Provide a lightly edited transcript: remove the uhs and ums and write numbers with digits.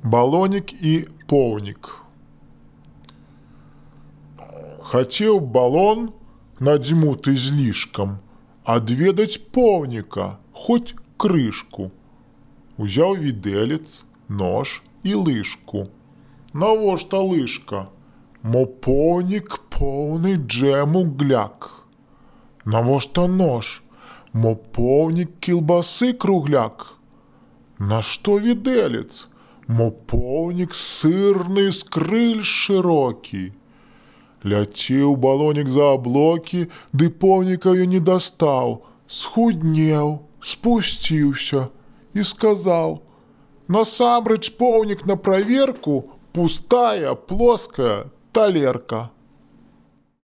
Балонік і поўнік. Хацеў балон, надзьмуты злішкам, адведаць поўніка, хоць крышку. Узяў відэлец, нож і лыжку. Навошта лыжка? Мо поўнік поўны джэму гляк. Навошта нож? Мо поўнік кілбасы кругляк. Нашто відэлец? Мо поўнік сырны скрыль шырокі. Ляцеў балонік за аблокі, ды поўніка ён не дастаў, схуднеў, спусціўся і сказаў: насамрэч поўнік на праверку пустая плоская талерка.